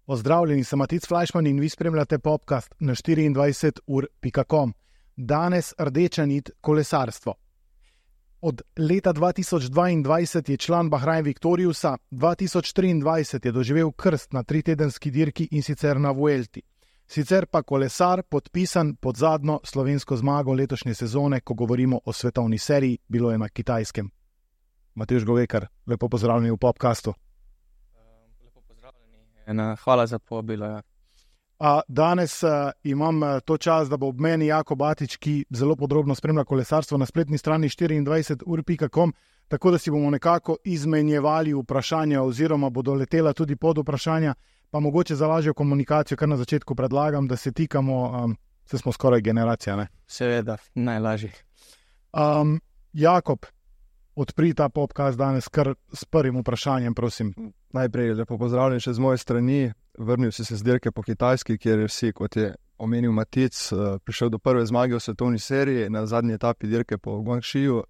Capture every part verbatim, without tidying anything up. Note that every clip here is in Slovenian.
Pozdravljeni, sem Matic Flajšman in vi spremljate podcast na štiriindvajset ur pika com. Danes rdeča nit kolesarstvo. Od leta dva tisoč dvaindvajset je član Bahrain Victoriusa, dva tisoč triindvajset je doživel krst na tritedenski dirki in sicer na Vuelti. Sicer pa kolesar podpisan pod zadnjo slovensko zmago letošnje sezone, ko govorimo o svetovni seriji, bilo je na Kitajskem. Matevž Govekar, lepo pozdravljeni v podcastu. Lepo pozdravljeni. Hvala za povabilo. Ja. A, danes a, imam a, to čas, da bo ob meni Jako Batič, ki zelo podrobno spremlja kolesarstvo na spletni strani štiriindvajset ur pika com, tako da si bomo nekako izmenjevali vprašanja oziroma bodo letela tudi pod vprašanja, pa mogoče za lažjo komunikacijo, kar na začetku predlagam, da se tikamo, um, se smo skoraj generacija, ne? Seveda, najlažji. Um, Jakob, odpri ta podcast danes kar s prvim vprašanjem, prosim. Najprej lepo pozdravljen še z moje strani. Vrnil si se z dirke po Kitajski, kjer je vsi, kot je omenil Matic, prišel do prve zmage v svetovni seriji na zadnji etapi dirke po Guangxiju.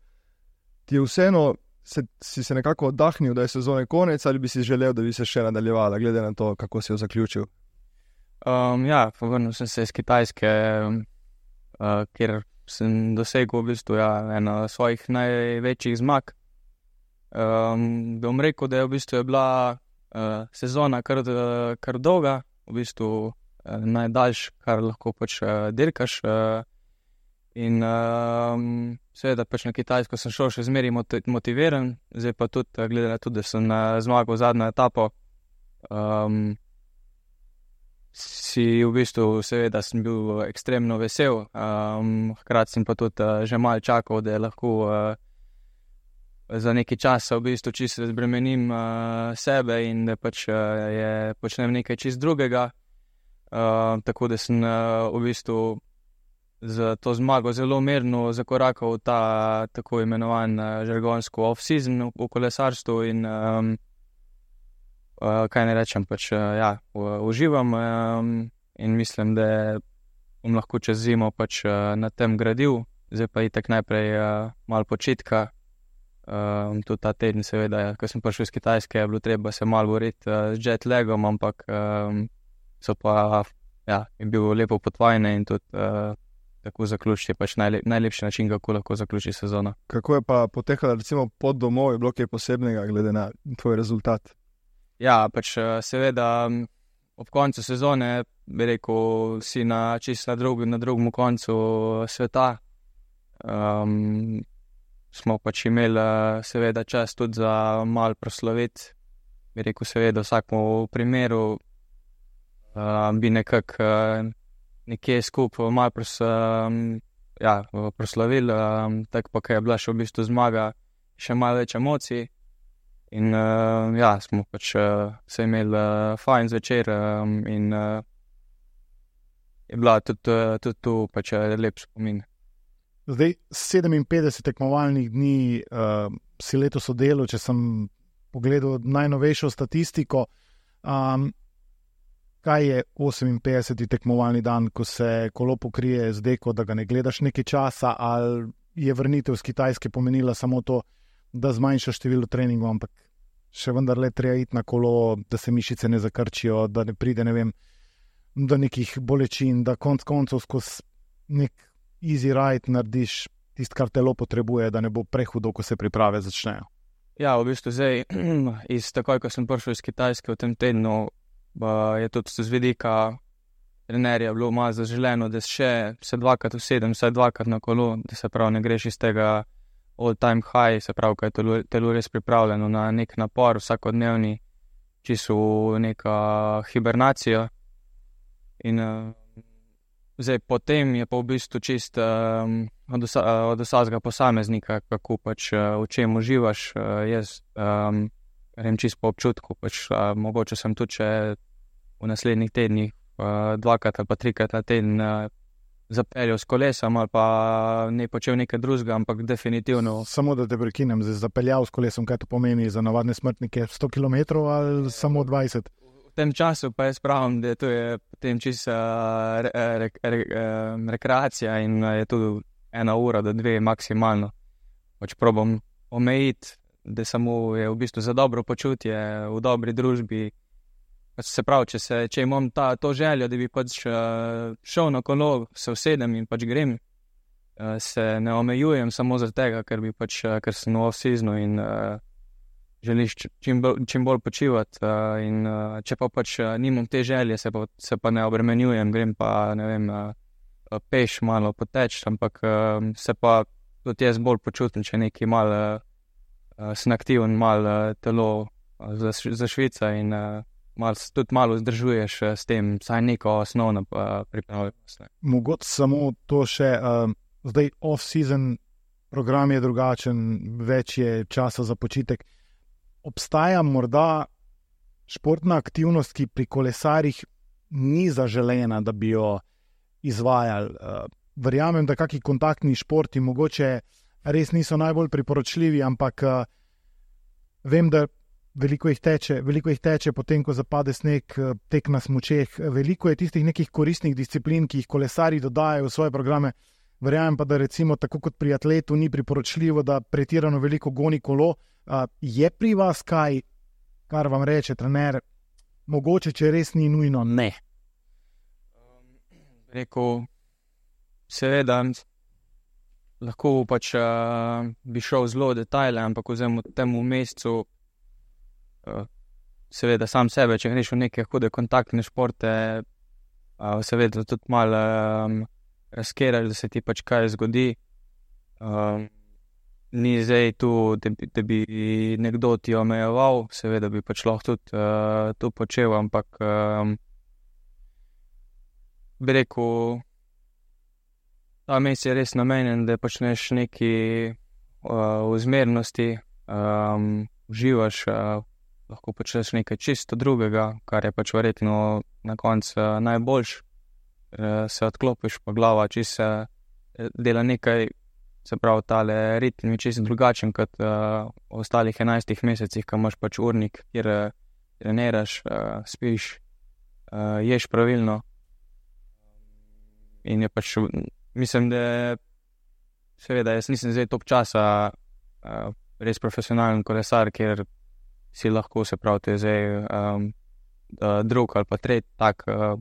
Ti je vseeno, se, si se nekako oddahnil, da je sezone konec, ali bi si želel, da bi se še nadaljevala, glede na to, kako si jo zaključil? Um, ja, povrnil sem se iz Kitajske, uh, kjer sem dosegel v bistvu ja, eno svojih največjih zmag. Um, bom rekel, da je v bistvu je bila uh, sezona kar, kar dolga, v bistvu uh, najdaljš, kar lahko pač uh, dirkaš. Uh, in uh, seveda pač na Kitajsko sem šel še zmeraj motiviran, zdaj pa tudi, uh, glede na to, da sem uh, zmagal zadnjo etapo, um, si v bistvu seveda sem bil ekstremno vesel, um, hkrati sem pa tudi uh, že malo čakal, da je lahko uh, za nekaj časa v bistvu čisto razbremenim uh, sebe in da pač uh, je počnem nekaj čist drugega. Uh, tako da sem uh, v bistvu z to zmago zelo mirno zakorakal v ta tako imenovan uh, žargonsko off-season v, v kolesarstvu in um, uh, kaj ne rečem, pač uh, ja, u, uživam um, in mislim, da bom lahko čez zimo pač uh, na tem gradil. Zdaj pa itak najprej uh, malo počitka. Um, tudi ta teden seveda, ko sem prišel iz Kitajske, je bilo treba se malo boriti uh, z jet lagom, ampak um, so pa, ja, je bil lepo potvajne in tudi uh, tako zaključiti je pač najlep, najlepši način, kako lahko zaključi sezono. Kako je pa potekala recimo pot domov, je bilo kaj posebnega glede na tvoj rezultat? Ja, pač uh, seveda um, ob koncu sezone, bi rekel, si na čisto na, drug, na drugem koncu sveta. Um, smo pač imeli seveda čas tudi za malo proslaviti. Bi rekel seveda vsakmu primeru uh, bi nekako uh, nekje skupaj malo pros, um, ja, proslavili, um, tako pa, ker je bila še v bistvu zmaga, še malo več emocij in uh, ja, smo pač uh, se imeli uh, fajn zvečer um, in uh, je bila tudi, uh, tudi tu pač uh, lep spomin. Zdaj, sedeminpetdeset tekmovalnih dni uh, si letos oddelal, če sem pogledal najnovejšo statistiko. Um, kaj je oseminpetdeseti tekmovalni dan, ko se kolo pokrije z deko, da ga ne gledaš nekaj časa, ali je vrnitev z Kitajske pomenila samo to, da zmanjša število treningov, ampak še vendar le treba iti na kolo, da se mišice ne zakrčijo, da ne pride, ne vem, do nekih bolečin, da konc koncev skozi nek easy ride narediš tisto, kar telo potrebuje, da ne bo prehudo, ko se priprave začnejo. Ja, v bistvu zdaj, iz takoj, ko sem prišel iz Kitajske v tem tednu, je tudi z vidika trenerja bilo malo zaželeno, da še se dvakrat usedem, se dvakrat na kolo, da se prav ne greš iz tega all time high, se prav, kaj je telo, telo res pripravljeno na nek napor vsakodnevni, čisto neka hibernacija. In zdaj, potem je pa v bistvu čist um, od, osa, od vsakega posameznika, kako pač uh, v čem uživaš. Uh, jaz um, grem čist po občutku, pač uh, mogoče sem tudi še v naslednjih tednih uh, dvakrat ali pa trikrat na teden uh, zapeljal s kolesom ali pa ne počel nekaj drugega, ampak definitivno. Samo da te prekinem, zdaj zapeljal s kolesom, kaj to pomeni za navadne smrtnike? sto kilometrov ali samo dvajset? V tem času pa jaz pravim, da to je potem čisto re, re, re, re, rekreacija in je tudi ena ura do dve maksimalno. pač probam omejiti, da samo je v bistvu za dobro počutje v dobri družbi. Pač se pravi, če, se, če imam ta, to željo, da bi pač uh, šel na kolo, se usedem in pač grem, uh, se ne omejujem samo zaradi tega, ker, bi pač, uh, ker sem v off-seasonu in uh, želiš čim bolj, čim bolj počivati. Uh, in, uh, če pa pač uh, nimam te želje, se pa, se pa ne obremenjujem, grem pa ne vem, uh, peš malo poteč, ampak uh, se pa tudi jaz bolj počutim, če nekaj malo uh, sem aktiven, malo uh, telo uh, za, za Švica in uh, Mal, tudi malo vzdržuješ s tem, saj neko osnovno uh, pripravljenost. Mogoče samo to še, uh, zdaj off-season program je drugačen, več je časa za počitek. Obstaja morda športna aktivnost, ki pri kolesarjih ni zaželena, da bi jo izvajali. Uh, verjamem, da kakšni kontaktni športi mogoče res niso najbolj priporočljivi, ampak uh, vem, da Veliko jih, teče, veliko jih teče, potem ko zapade sneg, tek na smučeh. Veliko je tistih nekih koristnih disciplin, ki jih kolesarji dodajajo v svoje programe. Verjamem pa, da recimo tako kot pri atletu ni priporočljivo, da pretirano veliko goni kolo. Uh, je pri vas kaj, kar vam reče trener, mogoče, če res ni nujno, ne? Um, rekel, seveda, lahko pač uh, bi šel zelo v detajle, ampak vzem v tem mesecu, seveda sam sebe, če greš v neke hude kontaktne športe, seveda tudi malo um, razkeraš, da se ti pač kaj zgodi. Um, ni zdaj tu, da bi, da bi nekdo ti omejeval, seveda bi pač lahko tudi uh, to počel, ampak um, bi rekel, ta mesec je res namenjen, da počneš neki uh, v zmernosti, um, uživaš, uh, lahko počneš nekaj čisto drugega, kar je pač verjetno na koncu najboljš. Se odklopiš, pa glava čisto dela nekaj, se pravi, tale ritem je čisto drugačen kot uh, v ostalih enajstih mesecih, ko imaš pač urnik, kjer treniraš, uh, spiš, uh, ješ pravilno. In je pač, mislim, da seveda jaz nisem zdaj top časa uh, res profesionalen kolesar, kjer si lahko, se pravi, to je zdaj um, drug ali pa tretji tak uh,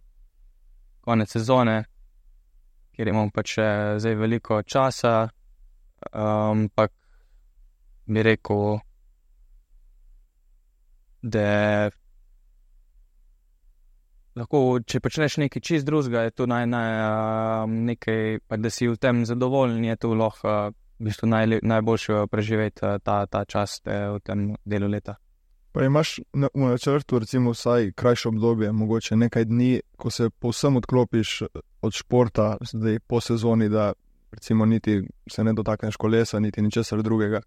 konec sezone, kjer imam pač zdaj veliko časa, ampak um, bi rekel, da lahko, če počneš nekaj čist drugega, je to naj, naj, um, nekaj, pa da si v tem zadovoljen, je to lahko uh, v bistvu naj, najboljše preživeti uh, ta, ta čas uh, v tem delu leta. Pa imaš v načrtu recimo vsaj krajše obdobje, mogoče nekaj dni, ko se povsem odklopiš od športa, zdaj po sezoni, da recimo niti se ne dotakneš kolesa, niti ničesar drugega,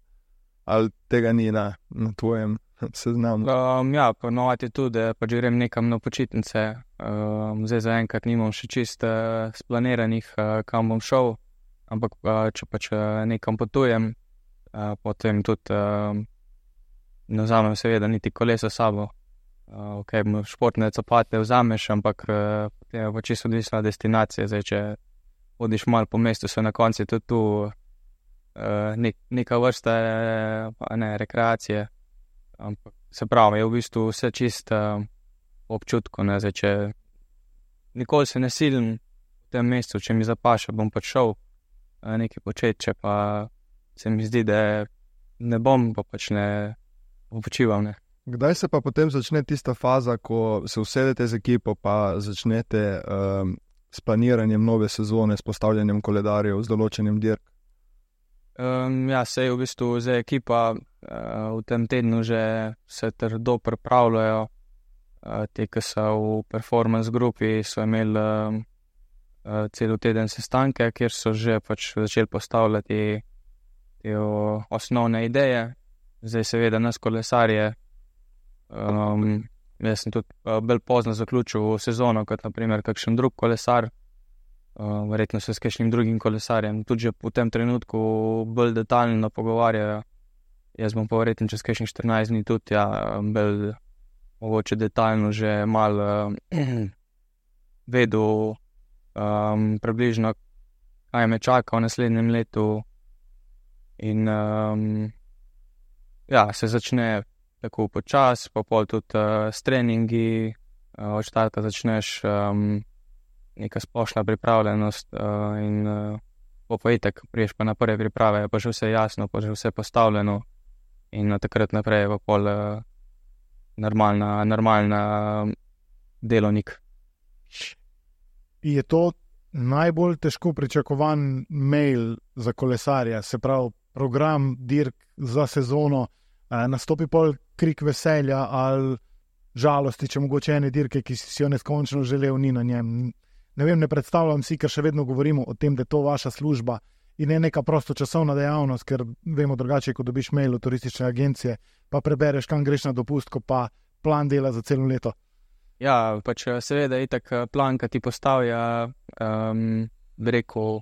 ali tega ni na, na tvojem seznamu? Um, ja, ponovadi je tudi, da pač grem nekam na počitnice, um, zdaj zaenkrat nimam še čist uh, splaniranih, uh, kam bom šel, ampak uh, če pač uh, nekam potujem, uh, potem tudi uh, ne vzamem seveda niti kolesa s sabo. Uh, ok, športne copate vzameš, ampak uh, je pa čisto odvisna destinacija. Zdaj, če hodiš malo po mestu, so na konci tudi tu uh, nek, neka vrsta uh, ne, rekreacije. Ampak se pravi, je v bistvu vse čisto uh, občutko. Ne? Zdaj, če nikoli se ne silim v tem mestu, če mi zapaša, bom pač šel uh, nekaj početi, če pa se mi zdi, da ne bom, pa pač ne počival, ne. Kdaj se pa potem začne tista faza, ko se usedete z ekipo, pa začnete um, s planiranjem nove sezone, s postavljanjem koledarjev, z določenjem dirk? Um, ja, se je v bistvu zdaj ekipa uh, v tem tednu že se trdo pripravljajo. Uh, te, ki so v performance grupi, so imeli um, uh, cel teden sestanke, kjer so že pač začeli postavljati te o, osnovne ideje. Zdaj seveda nas kolesarje, um, jaz sem tudi uh, bolj pozno zaključil sezono, kot naprimer kakšen drug kolesar, uh, verjetno se s kakšnim drugim kolesarjem tudi že v tem trenutku bolj detaljno pogovarjajo. Jaz bom pa verjetno čez kakšnih štirinajst dni tudi, ja, bolj mogoče detaljno že malo uh, vedel um, približno, kaj me čaka v naslednjem letu. In um, ja, se začne tako počas, pa pol tudi uh, s treningi, uh, od štarta začneš um, neka splošna pripravljenost uh, in uh, po pa itak priješ pa na prve priprave, pa že vse jasno, pa že vse postavljeno in na takrat naprej je pa pol uh, normalna, normalna um, delovnik. Je to najbolj težko pričakovan mail za kolesarja, se pravi program dirk za sezono, eh, nastopi pol krik veselja ali žalosti, če mogoče ene dirke, ki si jo neskončno želel, ni na njem. Ne vem, ne predstavljam si, ker še vedno govorimo o tem, da je to vaša služba in ne neka prostočasovna dejavnost, ker vemo drugače, ko dobiš mail od turistične agencije, pa prebereš, kam greš na dopust, ko pa plan dela za celo leto. Ja, pač seveda je tak plan, ki ti postavlja, um, bi rekel,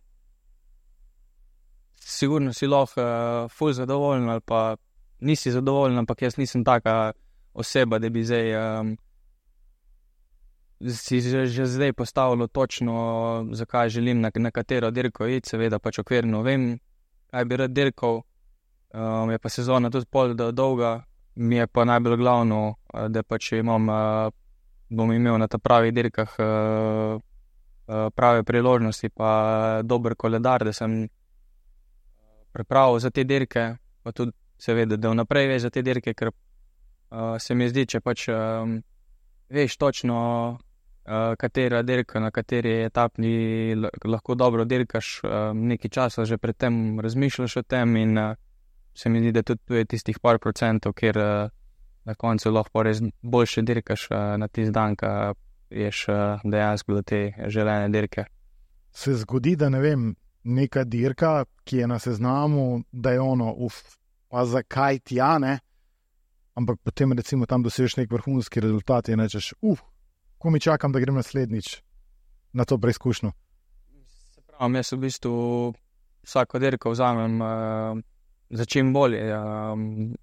sigurno si lahko uh, ful zadovoljen ali pa nisi zadovoljen, ampak jaz nisem taka oseba, da bi zdaj um, si že, že zdaj postavilo točno, zakaj želim na, na katero dirko iti, seveda pač okvirno vem, kaj bi rad dirkal, um, je pa sezona tudi pol dolga, mi je pa najbolj glavno, da pač imam, uh, bom imel na ta pravih dirkah uh, uh, prave priložnosti, pa dober koledar, da sem pripravil za te dirke, pa tudi seveda, da vnaprej veš za te dirke, ker uh, se mi zdi, če pač um, veš točno, uh, katera dirka, na kateri etapni lahko dobro dirkaš, uh, nekaj časa že pred tem razmišljaš o tem in uh, se mi zdi, da tudi tu je tistih par procentov, kjer uh, na koncu lahko res boljše dirkaš uh, na tisti dan, ka ješ uh, dejansko do te želene dirke. Se zgodi, da ne vem, neka dirka, ki je na seznamu, da je ono, uf, pa zakaj tja, ne? Ampak potem recimo tam dosežeš nek vrhunski rezultat in rečeš, uf, ko mi čakam, da grem naslednjič na to preizkušnjo. Se pravim, jaz v bistvu vsako dirko vzamem uh, za čim bolje, uh,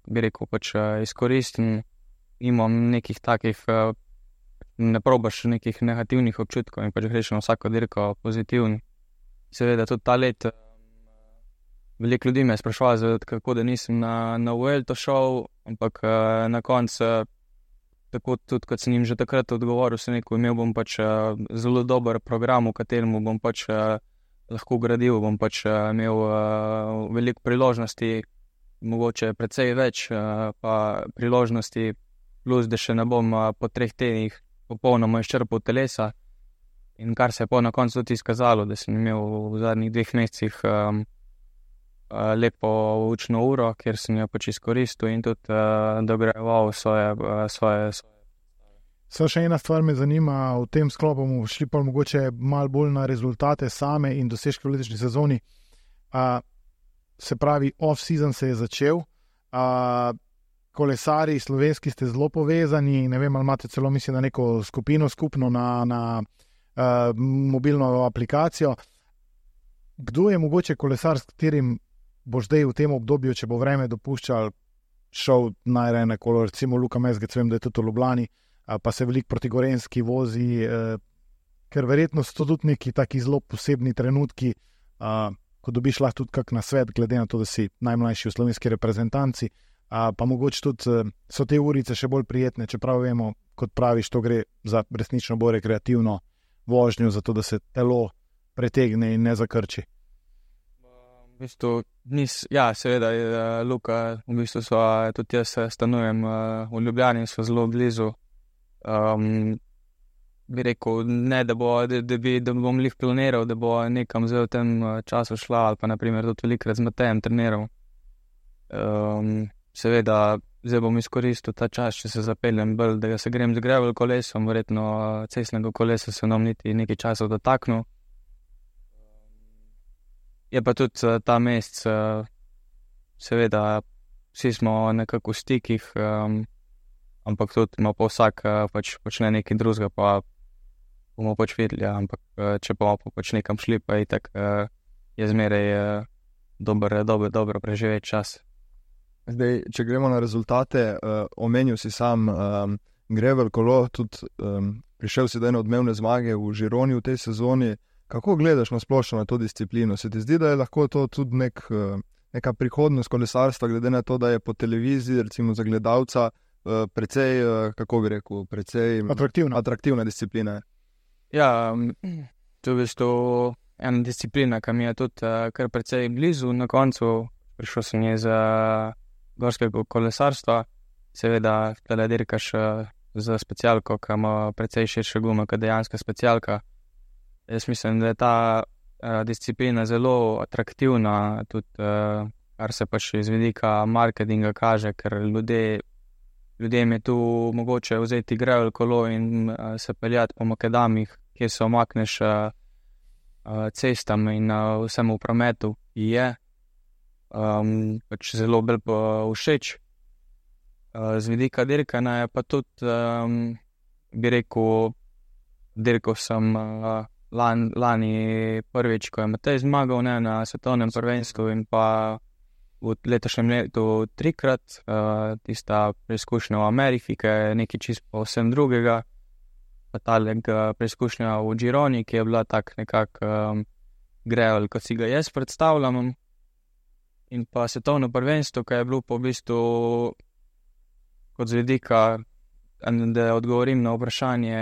bi rekel, pač uh, izkoristim, imam nekih takih, uh, ne probaš nekih negativnih občutkov in pač greš na vsako dirko pozitivno. Seveda tudi ta let, veliko ljudi me je sprašvalo, kako da nisem na, na Vuelto šel, ampak na koncu, tako tudi kot sem jim že takrat odgovoril, sem rekel, imel bom pač zelo dober program, v katerem bom pač lahko gradil, bom pač imel veliko priložnosti, mogoče precej več pa priložnosti, plus da še ne bom po treh tednih popolnoma izčrpal telesa. In kar se je po na koncu tudi izkazalo, da sem imel v zadnjih dveh mesecih um, uh, lepo učno uro, kjer sem jo pač izkoristil in tudi uh, dograjeval svoje, uh, svoje, svoje. So še ena stvar me zanima, v tem sklopu bomo šli pa mogoče malo bolj na rezultate same in dosežke v letošnji sezoni. Uh, se pravi, off-season se je začel, uh, kolesari slovenski ste zelo povezani, ne vem, ali imate celo mislim na neko skupino skupno na, na Uh, mobilno aplikacijo. Kdo je mogoče kolesar, s katerim bo zdaj v tem obdobju, če bo vreme dopuščal, šel najraje na kolo, recimo Luka Mezgec, vem, da je tudi v Ljubljani, uh, pa se veliko proti Gorenjski vozi, uh, ker verjetno so tudi neki taki zelo posebni trenutki, uh, ko dobiš lahko tudi kak nasvet, glede na to, da si najmlajši v slovenski reprezentanci, uh, pa mogoče tudi uh, so te urice še bolj prijetne, čeprav vemo, kot praviš, to gre za resnično bolj rekreativno vožnjo, zato da se telo pretegne in ne zakrči. V bistvu, nis, ja, seveda, Luka, v bistvu so, tudi jaz stanujem v Ljubljani, so zelo blizu. Um, bi rekel, ne, da, bo, da, da, bi, da bom lih planiral, da bo nekam zdaj v tem času šla, ali pa naprimer tudi velikrat z Matejem treniral. Um, seveda, zdaj bom izkoristil ta čas, če se zapeljem bolj, da se grem z gravel kolesom, verjetno cestnega kolesa se nam niti nekaj časa dotaknil. Je pa tudi ta mesec, seveda, vsi smo nekako v stikih, um, ampak tudi ima pa vsak pač počne nekaj drugega, pa bomo pač videli, ampak če bomo pa pač nekam šli, pa itak je zmeraj dober, dober, dobro preživeti čas. Zdaj, če gremo na rezultate, uh, omenil si sam um, gravel kolo, tudi um, prišel si do ene odmevne zmage v Žironi v tej sezoni. Kako gledaš na splošno na to disciplino? Se ti zdi, da je lahko to tudi nek, uh, neka prihodnost kolesarstva, glede na to, da je po televiziji, recimo za gledalca, uh, precej, uh, kako bi rekel, precej atraktivna. atraktivna disciplina. Ja, to je v bistvu ena disciplina, ki mi je tudi uh, kar precej blizu. Na koncu prišel sem iz uh, gorskega kolesarstva, seveda tale dirkaš uh, za specialko, ki ima precej širše gume kot dejanska specialka. Jaz mislim, da je ta uh, disciplina zelo atraktivna, tudi uh, kar se pač iz vidika marketinga kaže, ker ljudje, ljudem je tu mogoče vzeti gravel kolo in uh, se peljati po makadamih, kjer se omakneš uh, uh, cestam in uh, vsemu prometu, ki je um, pač zelo bolj všeč. Uh, z vidika dirkanja je pa tudi, um, bi rekel, dirkal sem uh, lan, lani prvič, ko je Matej zmagal ne, na svetovnem prvenstvu in pa v letošnjem letu trikrat, uh, tista preizkušnja v Ameriki, ki je nekaj čisto povsem drugega, pa talega preizkušnja v Gironi, ki je bila tak nekak um, gravel, kot si ga jaz predstavljam, in pa svetovno prvenstvo, ki je bilo po v bistvu kot z vidika, da odgovorim na vprašanje,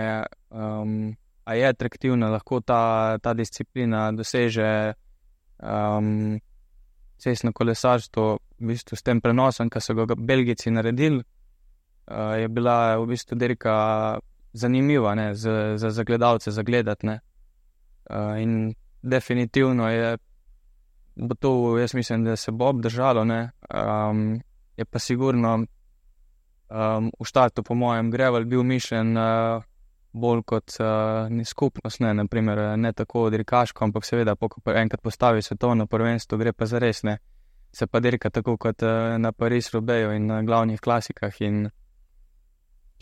um, a je atraktivna, lahko ta, ta disciplina doseže um, cestno kolesarstvo, v bistvu s tem prenosom, ki so ga Belgijci naredili, uh, je bila v bistvu dirka zanimiva, ne, za, za, za gledalce zagledati, ne. Uh, in definitivno je, bo to, jaz mislim, da se bo obdržalo, ne, um, je pa sigurno um, v štartu, po mojem, gravel bil mišljen uh, bolj kot uh, ni skupnost, ne, naprimer, ne tako dirkaško, ampak seveda, ko enkrat postavi svetovno prvenstvo, gre pa zares, ne, se pa dirka tako kot uh, na Paris-Roubaixu in na glavnih klasikah in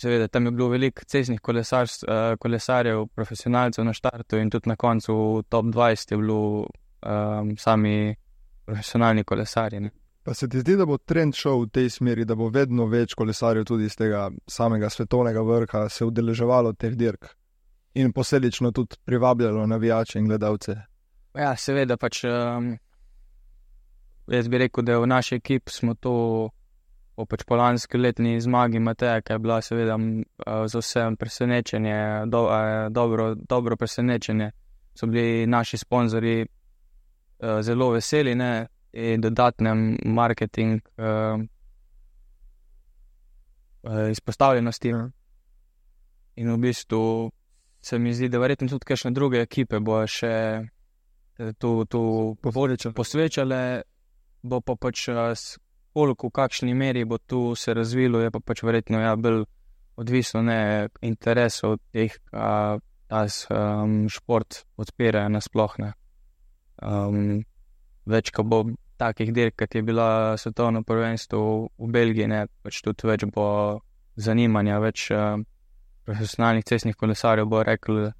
seveda, tam je bilo veliko cestnih kolesar, uh, kolesarjev, profesionalcev na štartu in tudi na koncu v top dvajset je bilo um, sami profesionalni kolesarji, ne. Pa se ti zdi, da bo trend šel v tej smeri, da bo vedno več kolesarjev tudi iz tega samega svetovnega vrha se udeleževalo teh dirk in posledično tudi privabljalo navijače in gledalce? Ja, seveda pač, um, jaz bi rekel, da v naši ekipi smo to po pač po lanski letni zmagi Mateja, ki je bila seveda uh, za vsem presenečenje, do, uh, dobro, dobro presenečenje, so bili naši sponzorji uh, zelo veseli, ne, in dodatnem marketing uh, uh, izpostavljenosti. Ja. In v bistvu se mi zdi, da verjetno tudi kakšne druge ekipe bo še to, to posvečale, bo pa pač koliko, v kakšni meri bo tu se razvilo, je pa pač verjetno ja, bolj odvisno ne interesov teh, a ta um, šport odpirajo nasploh, ne. Um, več, ko bo takih dirk, kot je bila svetovno prvenstvo v Belgiji, ne, pač tudi več bo zanimanja, več uh, profesionalnih cestnih kolesarjev bo rekel,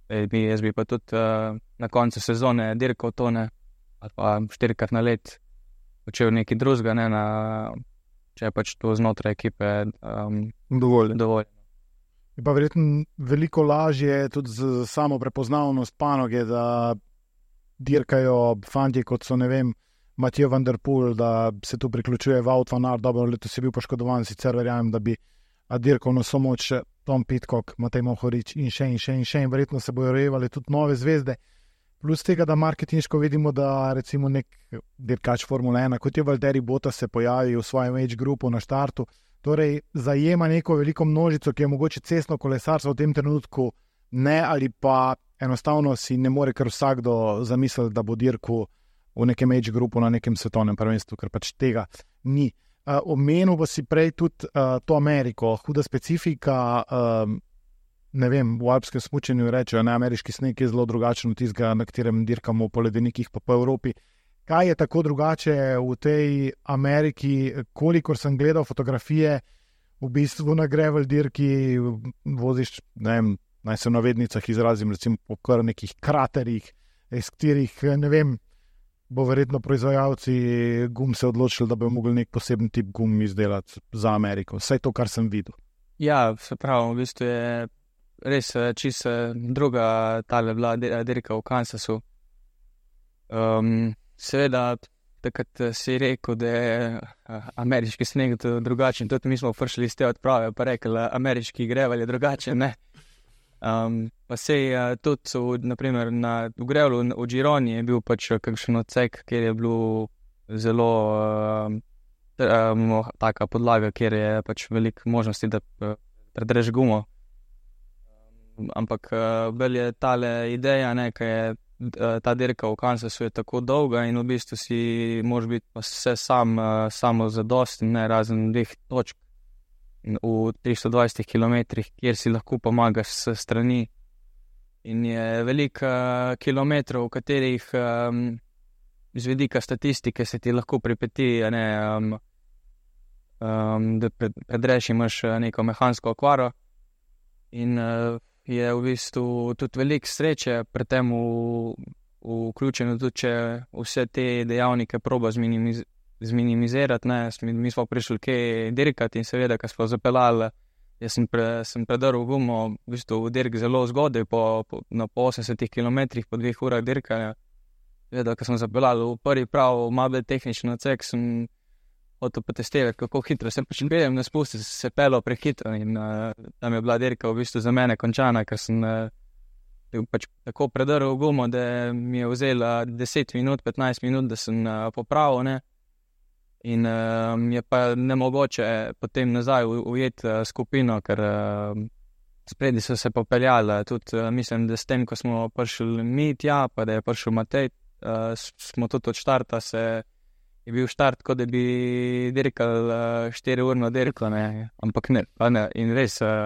da bi, jaz bi pa tudi uh, na koncu sezone dirkal to, ne, ali pa štirikrat na let počel nekaj drugega, ne, na, če je pač to znotraj ekipe um, dovolj. dovolj. Je pa verjetno veliko lažje tudi z samo prepoznavnost panoge, da dirkajo fantje, kot so, ne vem, Mathieu van der Poel, da se tu priključuje Wout van Aert, dobro, letos je bil poškodovan, sicer verjamem, da bi dirkal na somoč Tom Pidcock, Matej Mohorič in še in še in še in verjetno se bojo rojevali tudi nove zvezde. Plus tega, da marketinško vidimo, da recimo nek dirkač Formule ena, kot je Valtteri Bottas se pojavi v svojem age groupu na štartu, torej zajema neko veliko množico, ki je mogoče cestno kolesarstvo v tem trenutku ne, ali pa enostavno si ne more kar vsakdo zamisliti, da bo dirkal v nekem age groupu na nekem svetovnem prvenstvu, ker pač tega ni. Uh, omenil pa si prej tudi uh, to Ameriko, huda specifika, uh, ne vem, v alpskem smučanju rečejo, ne, ameriški sneg je zelo drugačen od tistega, na katerem dirkamo po ledenikih pa po Evropi. Kaj je tako drugače v tej Ameriki, kolikor sem gledal fotografije, v bistvu na gravel dirki voziš, ne vem, naj se v navednicah izrazim, recimo po kar nekih kraterih, iz katerih, ne vem, bo verjetno proizvajalci gum se odločili, da bi mogli nek poseben tip gum izdelati za Ameriko. Vse to, kar sem videl. Ja, se pravi, v bistvu je res čisto druga tale bila dirka v Kansasu. Um, seveda, takrat si rekel, da je ameriški sneg drugačen, tudi mi smo prišli iz te odprave, pa rekli, ameriški grevel je drugačen, ne. Um, pa sej tudi v, naprimer, na, v grevlu v Gironi je bil pač kakšen odsek, kjer je bilo zelo um, um, taka podlaga, kjer je pač veliko možnosti, da predreš gumo. Um, ampak uh, bolj je tale ideja, ne, kaj je uh, ta dirka v Kansasu je tako dolga in v bistvu si moraš biti pa vse sam, uh, samo zadosten, ne, razen dveh točk v tristo dvajset kilometrih, kjer si lahko pomagaš s strani. In je veliko uh, kilometrov, v katerih um, z vidika statistike se ti lahko pripeti, ne, um, um, da pred, predreš imaš neko mehansko okvaro in uh, je v bistvu tudi veliko sreče pri tem vključeno, tudi če vse te dejavnike proba zminimiz zminimizirati, ne, mi smo prišli kaj dirkati in seveda, ko smo zapeljali, jaz sem, pre, sem predrl gumo v bistvu v dirk zelo zgodaj, po, po, na po osemdesetih kilometrih, po dveh urah dirkanja. Seveda, ko smo zapeljali v prvi prav, malo bolj tehnični odsek, sem hotel potestirati, kako hitro se pač peljem na spustu, se pelil prehitro in uh, tam je bila dirka v bistvu za mene končana, ker sem uh, pač tako predrl gumo, da mi je vzela deset minut, petnajst minut, da sem uh, popravil, ne. In uh, je pa nemogoče potem nazaj ujeti uh, skupino, ker uh, spredi so se popeljali. Tudi uh, mislim, da s tem, ko smo prišli mi tja, pa da je prišel Matej, uh, smo tudi od štarta se, je bil štart, kot da bi dirkal uh, štiri urno dirko, ne, ampak ne, pa ne. In res uh,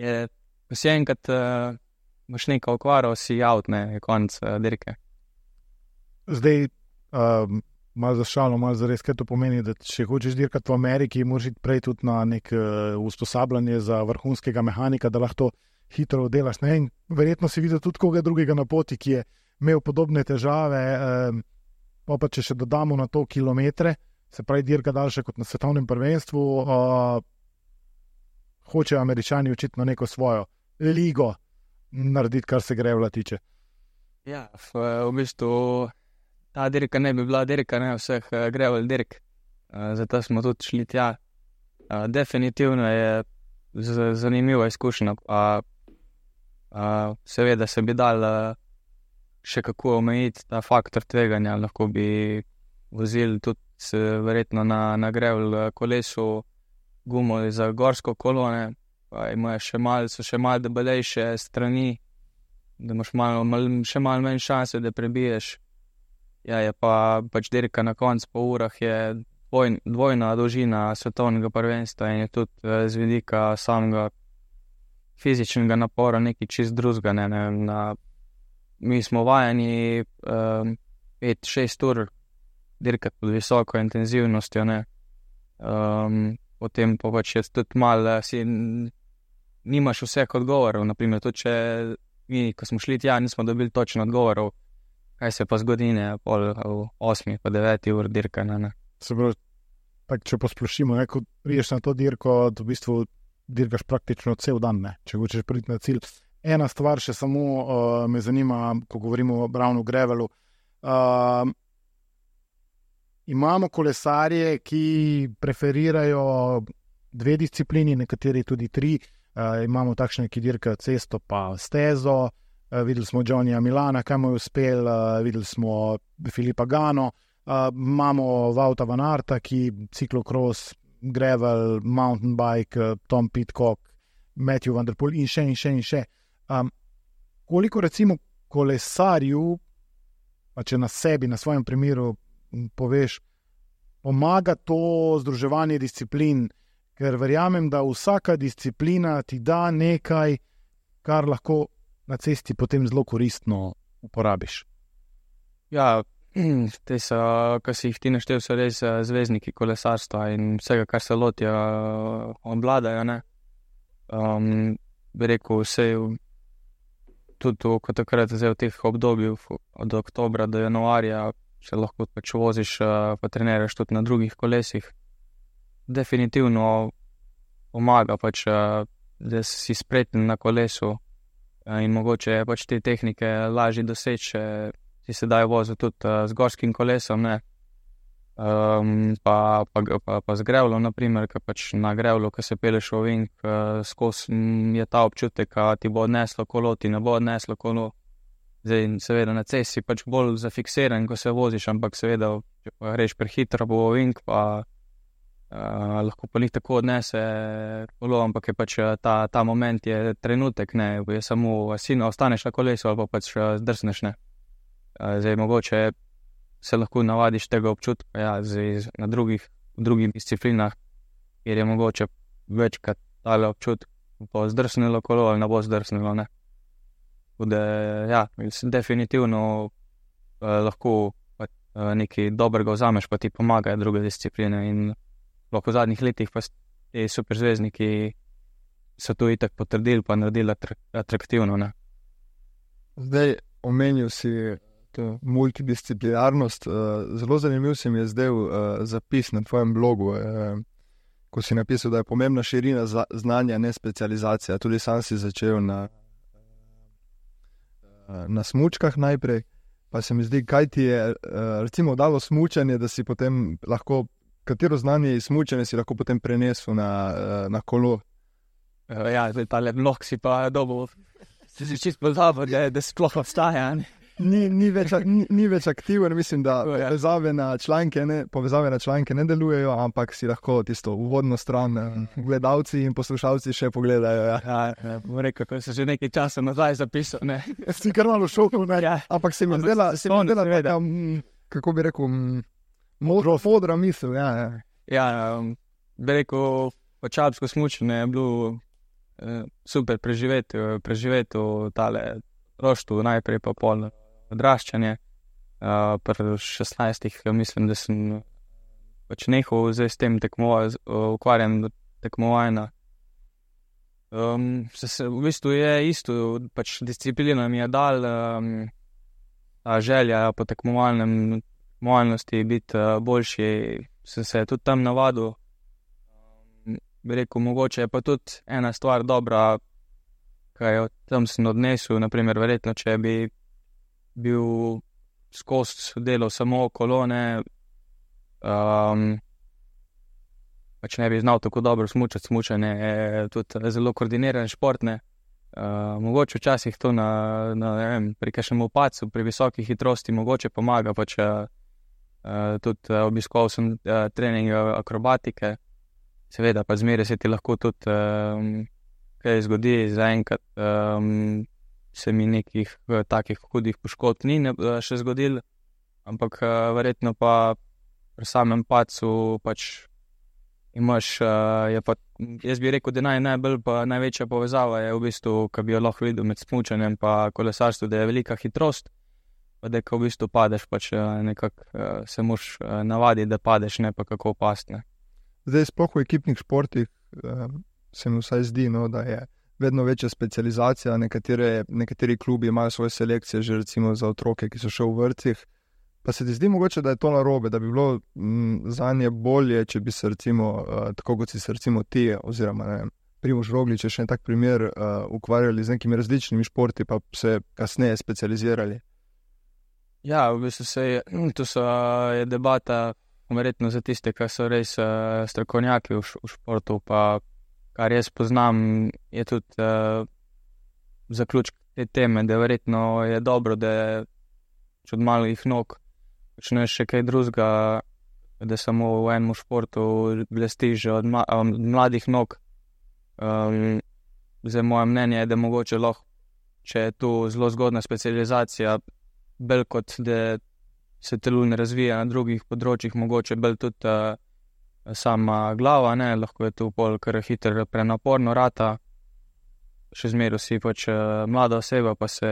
je, ko si enkrat uh, imaš neko okvaro, si out, ne, je konec uh, dirke. Zdaj, um... malo za šalo, malo za res, kaj to pomeni, da če hočeš dirkati v Ameriki, moraš iti prej tudi na nek uh, usposabljanje za vrhunskega mehanika, da lahko hitro delaš. Ne? In verjetno si videl tudi koga drugega na poti, ki je imel podobne težave, um, pa, pa če še dodamo na to kilometre, se pravi dirka daljše kot na svetovnem prvenstvu, uh, hočejo Američani očitno neko svojo ligo narediti, kar se grevla tiče. Ja, v, v bistvu ta dirka ne bi bila dirka, ne vseh uh, grevel dirk, uh, zato smo tudi šli tja. Uh, definitivno je z, zanimiva izkušnja, uh, uh, seveda se bi dal uh, še kako omejiti ta faktor tveganja, lahko bi vozili tudi se, verjetno na, na grevel kolesu gumo za gorsko kolone, pa imajo še malo, so še malo debelejše strani, da imaš malo, mal, še malo manj šanse, da prebiješ. Ja, je pa pač dirka na koncu po urah je dvoj, dvojna dolžina svetovnega prvenstva in je tudi z vidika samega fizičnega napora nekaj čist drugega, ne, ne, na, mi smo vajeni um, pet šest ur dirkati pod visoko intenzivnostjo, ne, um, potem pa pač je tudi malo, si nimaš vseh odgovorov, naprimer, tudi če mi, ko smo šli tja, nismo dobili točno odgovorov, kaj se pa zgodi, ne, pol v osmi, pa deveti ur dirka, ne, ne. Se pravi, tak, če posplošimo, ne, ko priješ na to dirko, v bistvu dirkaš praktično cel dan, ne, če hočeš priti na cilj. Ena stvar še samo uh, me zanima, ko govorimo o Brownu Gravelu. Uh, imamo kolesarje, ki preferirajo dve disciplini, nekateri tudi tri. Uh, imamo takšne, ki dirkajo cesto pa stezo. Uh, videli smo Johnnyja Milana, kaj mu je uspel, uh, videli smo Filipa Gano, uh, imamo Wouta van Aerta, ki ciklokros, gravel, mountain bike, uh, Tom Pidcock, Matthew van der Poel in še in še in še. Um, koliko recimo kolesarju, pa če na sebi, na svojem primeru poveš, pomaga to združevanje disciplin, ker verjamem, da vsaka disciplina ti da nekaj, kar lahko na cesti potem zelo koristno uporabiš. Ja, te so, ko si jih ti naštel, so res zvezdniki kolesarstva in vsega, kar se lotijo, obvladajo, ne. Um, bi rekel, vse tudi kot takrat zdaj v teh obdobjih od oktobra do januarja se lahko pač voziš, pa treniraš tudi na drugih kolesih. Definitivno pomaga pač, da si spreten na kolesu in mogoče je pač te tehnike lažje doseči, si se dajo voziti tudi z gorskim kolesom, ne. Um, pa, pa, pa, pa z grevlom, naprimer, ki pač na grevlu, ki se peleš v ovink, uh, skozi je ta občutek, da ti bo odneslo kolo, ti ne bo odneslo kolo. Zdaj, seveda, na cesti pač bolj zafiksiran, ko se voziš, ampak seveda, če pa greš prehitro po ovink, pa uh, lahko pa njih tako odnese kolo, ampak je pač ta, ta moment je trenutek, ne, je samo sino, ostaneš na kolesu ali pa pač zdrsneš, ne. Uh, zdaj, mogoče se lahko navadiš tega občutka, ja, zdaj, na drugih, v drugih disciplinah, kjer je mogoče večkrat tale občutek, bo zdrsnilo kolo ali ne bo zdrsnilo, ne. Bude, ja, definitivno eh, lahko pa, eh, nekaj dobrega vzameš, pa ti pomagajo druge discipline in lahko v zadnjih letih pa ti superzvezdniki so to itak potrdili pa naredili atraktivno, ne. Zdaj, omenil si multidisciplinarnost. Zelo zanimiv se mi je zdaj zapis na tvojem blogu, ko si napisal, da je pomembna širina znanja, ne specializacija. Tudi sam si začel na, na smučkah najprej, pa se mi zdi, kaj ti je recimo dalo smučanje, da si potem lahko, katero znanje iz smučanja si lahko potem prenesel na, na kolo? Ja, tale blok si pa dobil, si si čisto pozabil, da, da sploh obstaja, ne. Ni, ni, več, ni, ni več aktiven, mislim, da povezave na članke ne, povezave na članke ne delujejo, ampak si lahko tisto uvodno stran gledalci in poslušalci še pogledajo. Ja, ja, ja bom rekel, ko se že nekaj časa nazaj zapisal, ne. Si kar malo šokal, ne, ja. Ampak se mi zdela, se mi zdela taka, kako bi rekel, modro fodra misel, ja. Ja, ja um, bi rekel, počalpsko smučenje je bilo uh, super preživeti, preživeti v tale roštu, najprej pa pol odraščanje. Uh, pri šestnajstih mislim, da sem pač nehal zdaj s tem tekmovanjem, ukvarjam tekmovanja. Um, se, se, v bistvu je isto, pač disciplina mi je dal um, ta želja po tekmovalnem, tekmovalnosti biti uh, boljši, sem se tudi tam navadil. Um, bi rekel, mogoče je pa tudi ena stvar dobra, kaj jo tam sem odnesel, naprimer, verjetno, če bi bil skozi delal samo kolone, um, pač ne bi znal tako dobro smučati, smučanje je tudi zelo koordiniran šport, ne. Uh, mogoče včasih to na, na ne vem, pri kakšnem opacu, pri visoki hitrosti mogoče pomaga, pač uh, tudi uh, obiskoval sem uh, trening akrobatike, seveda pa zmeraj se ti lahko tudi uh, kaj zgodi, zaenkrat um, se mi nekih uh, takih hudih poškodb ni ne, uh, še zgodil, ampak uh, verjetno pa pri samem padcu pač imaš, uh, je pa, jaz bi rekel, da naj, najbolj pa največja povezava je v bistvu, ko bi jo lahko videl med smučanjem pa kolesarstvom, da je velika hitrost, pa da ko v bistvu padeš, pač uh, nekako uh, se moraš uh, navaditi, da padeš, ne pa kako past, ne. Zdaj, sploh v ekipnih športih, uh, se mi vsaj zdi, no, da je vedno večja specializacija, nekatere, nekateri klubi imajo svoje selekcije že recimo za otroke, ki so še v vrtcih, pa se ti zdi mogoče, da je to narobe, da bi bilo m, zanje bolje, če bi se recimo, uh, tako kot si se recimo ti, oziroma ne vem, Primož Roglič je še en tak primer, uh, ukvarjali z nekimi različnimi športi, pa se kasneje specializirali. Ja, v bistvu se je, to so, je debata, verjetno za tiste, ki so res uh, strokovnjaki v, v športu, pa kar jaz poznam, je tudi uh, zaključek te teme, da verjetno je dobro, da če od malih nog počneš še kaj drugega, da samo v enem športu blestiš od, ma, od mladih nog. Um, zdaj, moje mnenje je, da mogoče lahko, če je tu zelo zgodna specializacija, bolj kot da se telo ne razvija na drugih področjih, mogoče bolj tudi uh, sama glava, ne, lahko je tu pol kar hitro prenaporno rata, še zmeraj si pač uh, mlada oseba, pa se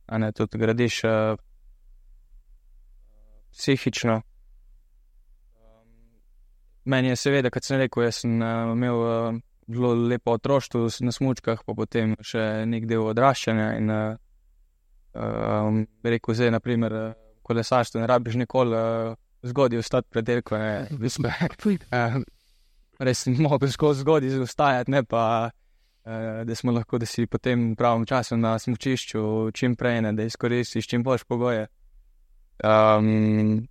a ne, tudi gradiš uh, psihično. Um, meni je seveda, kot sem rekel, jaz sem uh, imel uh, zelo lepo otroštvo na smučkah, pa potem še nek del odraščanja in uh, um, bi rekel, zdaj, na primer, uh, kolesarstvo ne rabiš nikoli uh, zgodaj vstati pred dirko, ne, uh, res sem mogel skozi zgodaj ustajati, ne pa, uh, da smo lahko, da si potem v pravem času na smučišču čim prej, ne, da izkoristiš čim boljše pogoje. Um,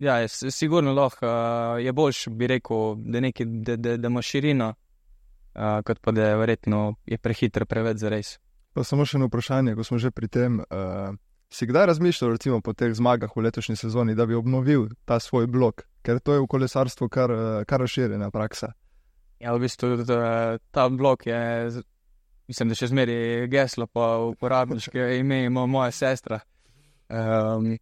ja, je, sigurno lahko uh, je boljš, bi rekel, da, neki, da, da, da ima širino, uh, kot pa da je verjetno je prehitro preveč za res. Pa samo še eno vprašanje, ko smo že pri tem. Uh, si kdaj razmišljal, recimo po teh zmagah v letošnji sezoni, da bi obnovil ta svoj blok? Ker to je v kolesarstvu kar, kar razširjena praksa. Ja, v bistvu ta, ta blok je, mislim, da še zmeri geslo pa uporabniške ime ima moja sestra. Um,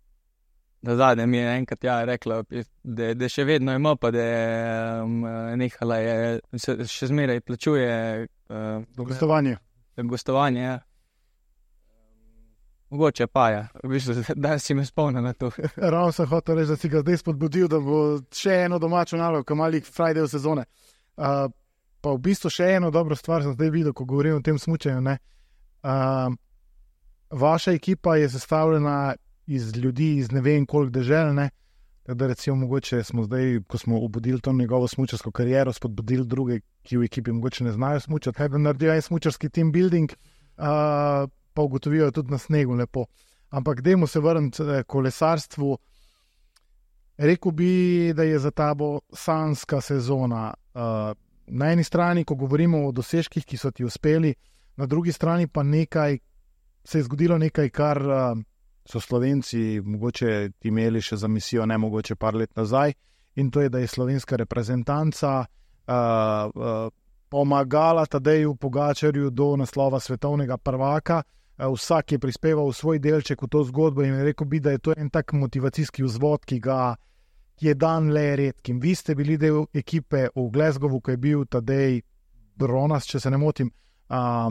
da zadnje mi je enkrat ja rekla, da, da še vedno ima, pa da je um, nehala je, se, še zmeraj plačuje uh, gostovanje. Gostovanje, ja. Mogoče pa je, v bistvu, da si me spomnil na to. Ravno sem hotel reči, da si ga zdaj spodbudil, da bo še eno domačo nalogo, ko malih Friday v sezone. Uh, pa v bistvu še eno dobro stvar sem zdaj videl, ko govorim o tem smučanju. Ne? Uh, vaša ekipa je sestavljena iz ljudi, iz ne vem koliko dežel, ne? Da recimo mogoče smo zdaj, ko smo obudili to njegovo smučarsko kariero, spodbudili druge, ki v ekipi mogoče ne znajo smučati, kaj da naredijo en smučarski team building, uh, pa ugotovijo tudi na snegu lepo. Ampak dajmo se vrniti k kolesarstvu. Rekel bi, da je za tabo sanjska sezona. Uh, na eni strani, ko govorimo o dosežkih, ki so ti uspeli, na drugi strani pa nekaj, se je zgodilo nekaj, kar uh, so Slovenci mogoče imeli še za misijo, ne mogoče par let nazaj, in to je, da je slovenska reprezentanca uh, uh, pomagala Tadeju Pogačarju do naslova svetovnega prvaka. Uh, vsak je prispeval svoj delček v to zgodbo in rekel bi, da je to en tak motivacijski vzvod, ki ga je dan le redkim. Vi ste bili del ekipe v Glasgowu, ko je bil Tadej Bronas, če se ne motim. Uh,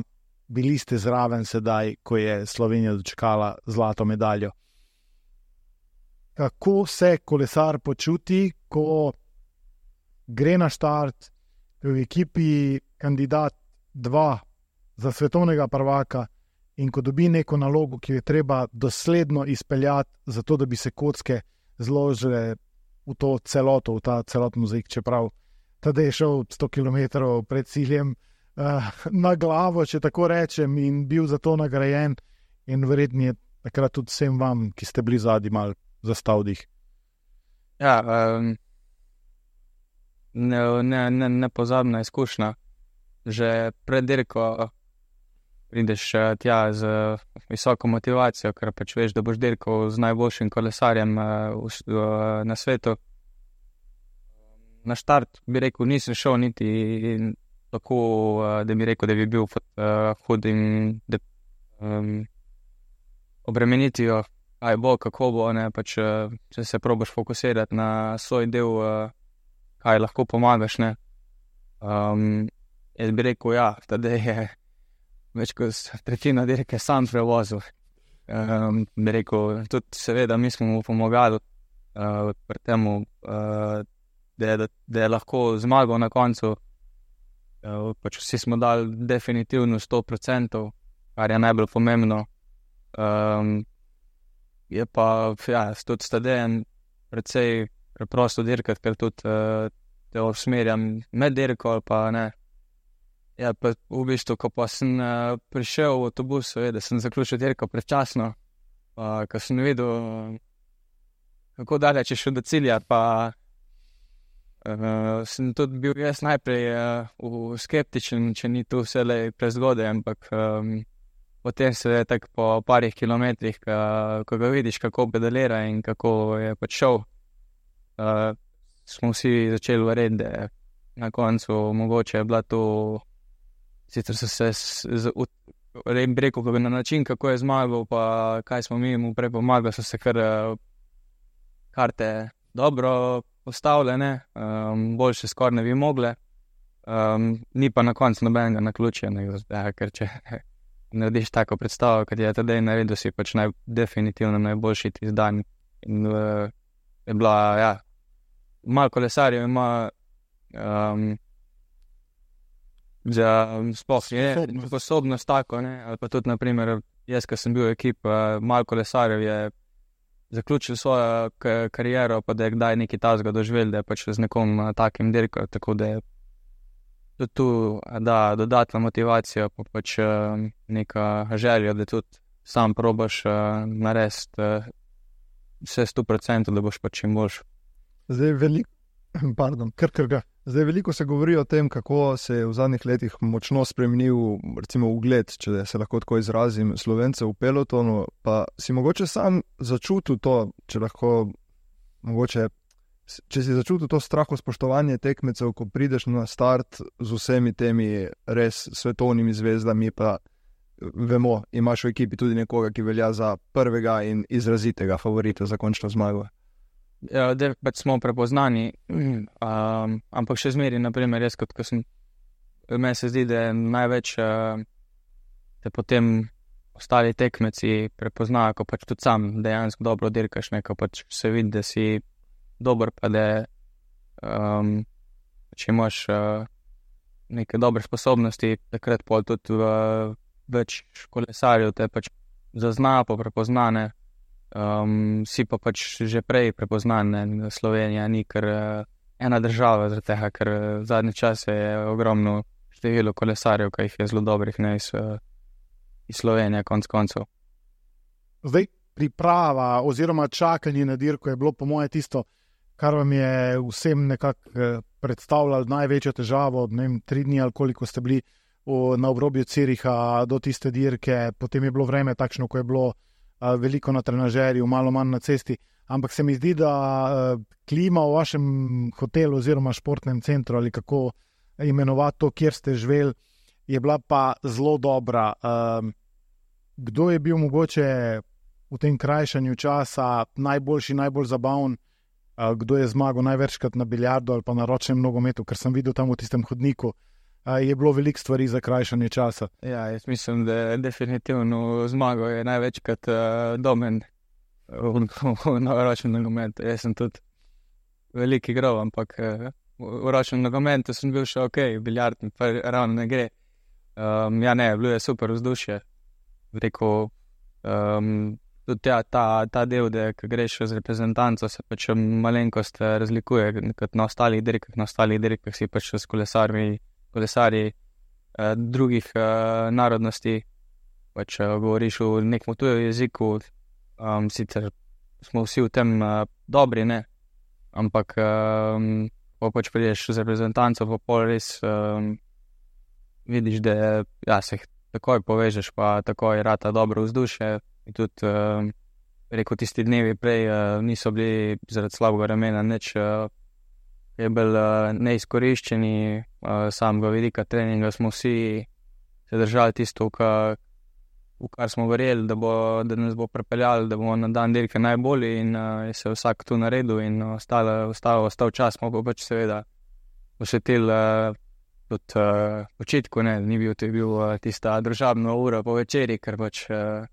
bili ste zraven sedaj, ko je Slovenija dočekala zlato medaljo. Kako se kolesar počuti, ko gre na štart v ekipi kandidat dva za svetovnega prvaka in ko dobi neko nalogo, ki jo je treba dosledno izpeljati, zato da bi se kocke zložile v to celoto, v ta celotni mozaik, čeprav Tadej je šel sto kilometrov pred ciljem uh, na glavo, če tako rečem, in bil za to nagrajen, in verjetno je takrat tudi vsem vam, ki ste bili zadnji, mal zastal dih. Ja, um, ne, ne, ne, nepozabna izkušnja. Že pred dirko prideš tja z visoko motivacijo, ker pač veš, da boš dirkal z najboljšim kolesarjem uh, na svetu. Na štart bi rekel, nisem šel niti tako, uh, da bi rekel, da bi bil uh, hud in da um, obremenitijo, aj bo, kako bo, ne, pač uh, če se probaš fokusirati na svoj del, uh, kaj lahko pomagaš, ne. Um, jaz bi rekel, ja, tada je več kot tretjina dirke sam prevozil. Um, bi rekel, tudi seveda mi smo mu pomagali uh, pri temu, uh, da, da, da je lahko zmagal na koncu. Uh, pač vsi smo dali definitivno sto procentov, kar je najbolj pomembno. Um, je pa, ja, tudi s Tadejem precej preprosto dirkati, ker tudi uh, te usmerjam med dirko ali pa ne. Ja, pa v bistvu, ko pa sem uh, prišel v avtobus, da sem zaključil dirko predčasno, uh, ko sem videl, kako daleč je šel do cilja, pa uh, sem tudi bil jaz najprej uh, skeptičen, če ni tu vselej prezgodaj, ampak um, potem se je tako po parih kilometrih, ka, ko ga vidiš, kako pedalira in kako je pač šel, uh, smo vsi začeli verjeti, da na koncu mogoče je bila to. Sicer so se rekel, na način, kako je zmagal, pa kaj smo mi mu prej pomagali, so se kar karte dobro postavljene, um, boljše skoraj ne bi mogle, um, ni pa na koncu nobenega naključja, ker če narediš tako predstavo, kot je Tadej naredil, si pač naj, definitivno najboljši tisti dan. In uh, je bila, ja, malo kolesarjev ima um, za sploh je sposobnost tako, ne, ali pa tudi, naprimer, jaz, ko sem bil ekipa, malo kolesarjev je zaključil svojo kariero, pa da je kdaj neki tasga doživel, da je pač z nekom takim dirkal, tako da je tudi tu, da, dodatna motivacija, pa pač neka želja, da tudi sam probaš narediti vse sto procentov, da boš pač čim boljš. Zdaj, veliko, pardon, Kr, kr, ga. Zdaj veliko se govori o tem, kako se je v zadnjih letih močno spremenil, recimo, ugled, če se lahko tako izrazim, Slovencev v pelotonu. Pa si mogoče sam začutil to, če lahko, mogoče, če si začutil to strahospoštovanje tekmecev, ko prideš na start z vsemi temi res svetovnimi zvezdami, pa vemo, imaš v ekipi tudi nekoga, ki velja za prvega in izrazitega favorita za končno zmago. Ja, da pač smo prepoznani, um, ampak še zmeri, naprimer, jaz kot ko sem, meni se zdi, da je največ, uh, da potem ostali tekmeci prepoznajo, ko pač tudi sam dejansko dobro dirkaš, ne, ko pač se vidi, da si dober, pa da um, če imaš uh, neke dobre sposobnosti, takrat pol tudi uh, več kolesarjev te pač zazna, pa prepoznane. Um, si pa pač že prej prepoznan, ne, Slovenija ni kar uh, ena država, zaradi tega, ker uh, zadnje čase je ogromno število kolesarjev, ki jih je zelo dobrih, ne, iz, uh, iz Slovenije, konc koncev. Zdaj, priprava oziroma čakanje na dirko je bilo po moje tisto, kar vam je vsem nekako uh, predstavljalo največjo težavo, ne vem, tri dni ali koliko ste bili v, na obrobju Züricha do tiste dirke, potem je bilo vreme takšno, ko je bilo veliko na trenažerju, malo manj na cesti, ampak se mi zdi, da uh, klima v vašem hotelu oziroma športnem centru ali kako imenovati to, kjer ste živeli, je bila pa zelo dobra. Uh, kdo je bil mogoče v tem krajšanju časa najboljši, najbolj zabaven, uh, kdo je zmagal največkrat na biljardu ali pa na ročnem nogometu, ker sem videl tam v tistem hodniku, je bilo veliko stvari za krajšanje časa. Ja, jaz mislim, da je definitivno zmago je največkrat uh, domen na ročnem nogometu. Jaz sem tudi velik igral, ampak uh, v ročnem nogometu sem bil še ok, biljard mi pa ravno ne gre. Um, ja, ne, bilo je super vzdušje. Rekel, um, tudi ja, ta, ta del, da ko greš z reprezentanco, se pač malenkost razlikuje, kot na ostalih dirkah, na ostalih dirkah si pač s kolesarji kolesarji eh, drugih eh, narodnosti, pač eh, govoriš v nekem tujem jeziku, um, sicer smo vsi v tem eh, dobri, ne, ampak um, ko pač prideš z reprezentanco, pa pol res um, vidiš, da ja, se takoj povežeš, pa takoj rata dobro vzdušje in tudi um, rekel, tisti dnevi prej uh, niso bili zaradi slabega vremena nič uh, je bil uh, neizkoriščeni, uh, samega vidika treninga smo vsi se držali tisto, ka, v kar smo verjeli, da, bo, da nas bo pripeljali, da bomo na dan dirke najbolji in uh, je se vsak tu naredil in ostalo, ostalo, ostal čas, smo pa pač seveda posvetili uh, tudi uh, počitku, ne, ni bil, to je bil uh, tista družabna ura po večeri, ker pač uh,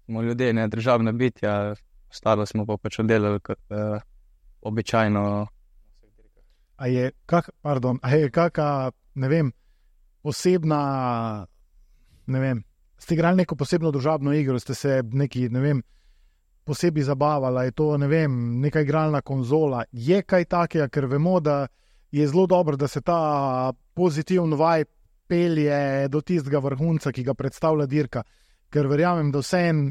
smo ljudje, ne družabna bitja, ostalo smo pa pač oddelali kot uh, običajno. A je, kak, pardon, a je kaka, ne vem, posebna, ne vem, ste igrali neko posebno družabno igro, ste se neki, ne vem, posebej zabavali, je to, ne vem, neka igralna konzola, je kaj takega, ker vemo, da je zelo dobro, da se ta pozitivn vibe pelje do tistega vrhunca, ki ga predstavlja dirka, ker verjamem, da vsem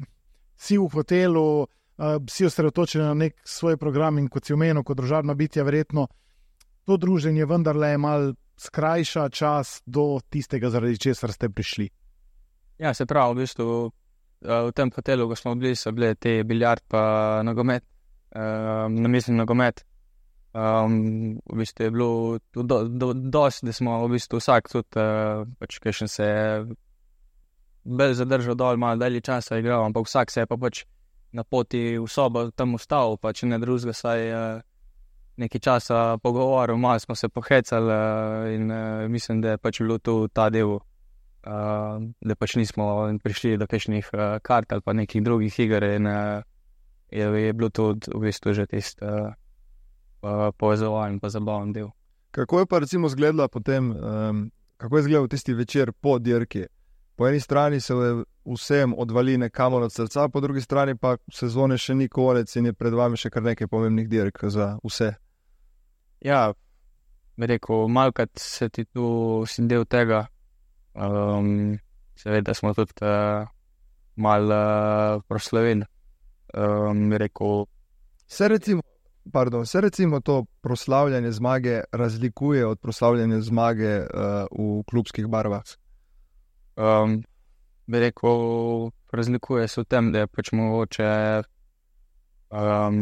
si v hotelu, uh, si osredotočeni na nek svoj program in kot si omenil, kot družabna bitja, verjetno to druženje vendarle malo skrajša čas do tistega, zaradi česar ste prišli. Ja, se pravi, v bistvu v tem hotelu, ko smo bili, so bile te biljard pa nogomet, um, namizni nogomet. Um, v bistvu je bilo do, do, dosti, da smo v bistvu vsak tudi, uh, pač kakšen se je bolj zadržal dol, malo dalje časa igral, ampak vsak se je pa pač na poti v sobo tam ustavil, pa če ne drugega, saj uh, nekaj časa pogovoril, malo smo se pohecali uh, in uh, mislim, da je pač bilo tu ta del, uh, da pač nismo prišli do kakšnih uh, kart ali pa nekih drugih iger in uh, je, je bilo tudi v bistvu že tisti uh, uh, povezovalni pa zabaven del. Kako je pa recimo izgledala potem, um, kako je izgledal tisti večer po dirki? Po eni strani se vsem odvali nekamo od srca, po drugi strani pa sezone še ni konec in je pred vami še kar nekaj pomembnih dirk za vse. Ja, bi rekel, malkrat se ti tu si del tega. Um, seveda smo tudi uh, malo uh, proslavili. Um, bi rekel, se recimo, pardon, se recimo to proslavljanje zmage razlikuje od proslavljanja zmage uh, v klubskih barvah? Um, bi rekel, razlikuje se v tem, da je pač mogoče, um,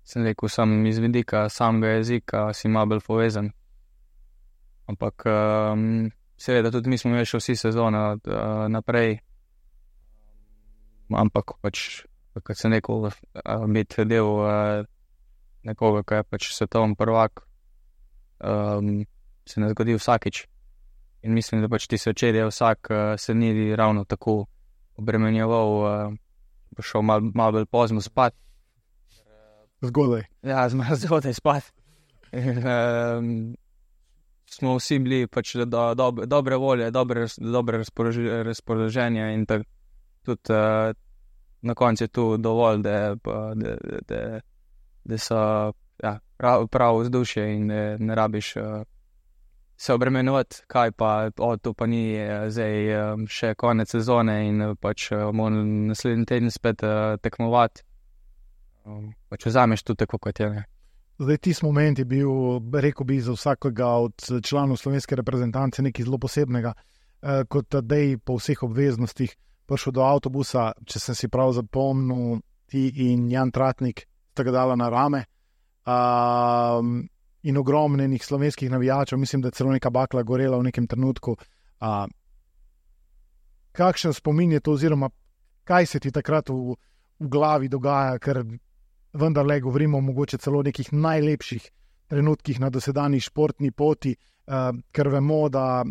sem rekel, sam iz vidika samega jezika si malo bolj povezan. Ampak um, seveda tudi mi smo imeli še vsi sezone uh, naprej, ampak pač, kot sem rekel, uh, biti del uh, nekoga, ki je pač svetovni prvak, um, se ne zgodi vsakič. In mislim, da pač ti se včeraj vsak uh, se ni ravno tako obremenjeval, uh, šel malo mal bolj pozno spat. Zgodaj. Ja, malo zgodaj spat. um, smo vsi bili pač do, do, dobre volje, dobre, dobre razpoloženje in tak, tudi uh, na koncu je tu dovolj, da, da, da, da so ja, prav, prav vzdušje in ne, ne rabiš uh, se obremenovati, kaj pa, o, to pa ni zdaj um, še konec sezone in pač moramo naslednji teden spet uh, tekmovati. Um, pač vzameš tu tako, kot je. Ne. Zdaj, tisti moment je bil, rekel bi, za vsakega od članov slovenske reprezentance nekaj zelo posebnega, uh, kot Tadej po vseh obveznostih prišel do avtobusa, če sem si prav zapomnil, ti in Jan Tratnik sta ga dala na rame. Uh, in ogromnenih slovenskih navijačev, mislim, da je celo neka bakla gorela v nekem trenutku. A, kakšen spomin je to, oziroma kaj se ti takrat v, v glavi dogaja, ker vendarle govorimo mogoče celo o nekih najlepših trenutkih na dosedanji športni poti, a, ker vemo, da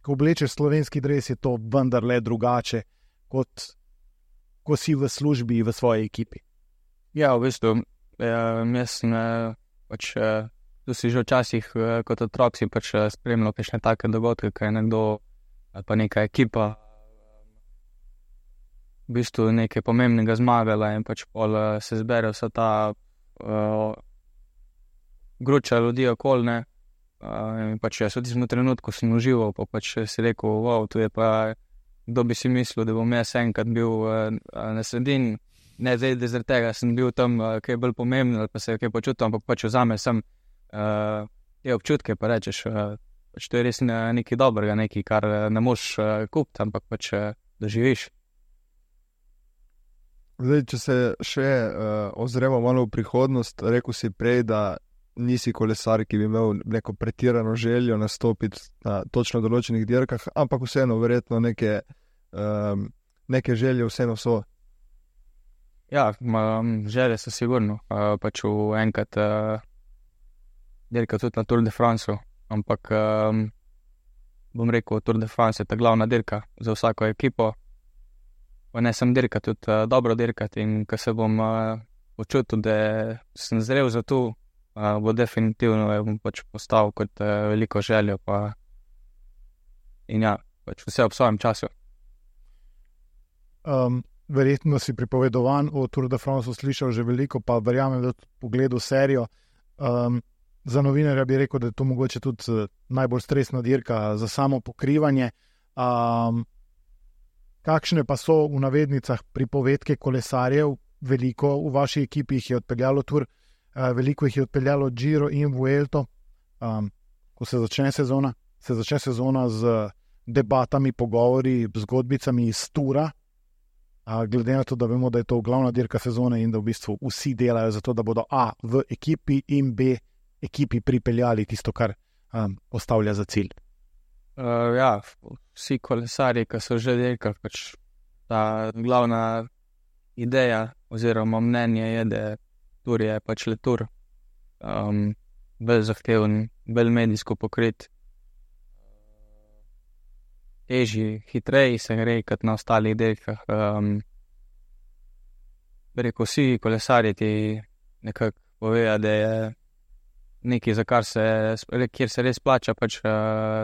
ko oblečeš slovenski dres, je to vendarle drugače, kot ko si v službi v svoji ekipi. Ja, v bistvu, jaz sem pač tu si že včasih kot otrok si pač spremljal kakšne take dogodke, kaj je nekdo ali pa neka ekipa v bistvu nekaj pomembnega zmagala in pač pol se zbere vsa ta uh, gruča ljudi okoli, ne. Uh, in pač jaz v tistem trenutku sem užival, pa pač si rekel, wow, tu je pa, kdo bi si mislil, da bom jaz enkrat bil uh, na sredini, ne zdaj, da zaradi tega sem bil tam, uh, kaj je bolj pomembno, ali pa se je kaj počutil, ampak pač vzame sem Uh, te občutke, pa rečeš, uh, pač to je res nekaj dobrega, nekaj, kar ne moš uh, kupiti, ampak pač uh, doživiš. Zdaj, če se še uh, ozremo malo v prihodnost, rekel si prej, da nisi kolesar, ki bi imel neko pretirano željo nastopiti na točno določenih dirkah, ampak vseeno verjetno neke, um, neke želje vseeno so. Ja, um, želje so sigurno, uh, pač v enkrat uh, dirka tudi na Tour de France, ampak um, bom rekel, Tour de France je ta glavna dirka za vsako ekipo. Pa ne sem dirka, tudi uh, dobro dirkati in ko se bom uh, počutil, da sem zrel za to, uh, bo definitivno bom pač postavil kot uh, veliko željo pa in ja, pač vse ob svojem času. Um, verjetno si pripovedovan o Tour de France slišal že veliko, pa verjamem, da pogledal serijo. Um, Za novinarja bi rekel, da je to mogoče tudi najbolj stresna dirka za samo pokrivanje. Um, kakšne pa so v navednicah pripovedke kolesarjev? Veliko v vaši ekipi jih je odpeljalo Tour, uh, veliko jih je odpeljalo Giro in Vuelto. Um, ko se začne sezona, se začne sezona z debatami, pogovori, zgodbicami iz Tura. Uh, glede na to, da vemo, da je to glavna dirka sezone in da v bistvu vsi delajo za to, da bodo A v ekipi in B ekipi pripeljali tisto, kar um, postavlja za cilj. Uh, ja, vsi kolesarji, ki so že dirkali, pač ta glavna ideja oziroma mnenje je, da Tour je pač le Tour. Um, bolj zahteven, bolj medijsko pokrit. Težji, hitreji se gre kot na ostalih dirkah. Um, rekel, vsi kolesarji ti nekako povejo, da je nekaj, za kar se, kjer se res plača pač uh,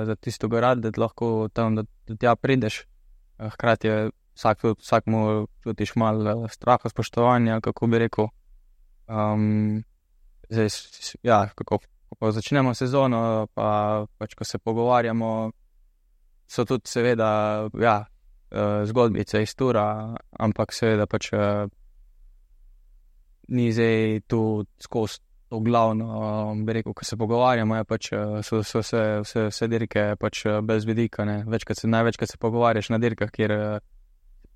za tisto garad, da lahko tam, da, da tja prideš. Uh, hkrati je vsak, vsak mu čutiš malo straha, spoštovanja, kako bi rekel. Um, zdaj, ja, kako, ko začnemo sezono, pa pač, ko se pogovarjamo, so tudi seveda, ja, uh, zgodbice iz Tura, ampak seveda pač uh, ni zdaj tu skozi to glavno, bi rekel, ko se pogovarjamo, je pač, so, so vse, vse, vse dirke pač brez vidika, ne. Večkrat se, največkrat se pogovarjaš na dirkah, kjer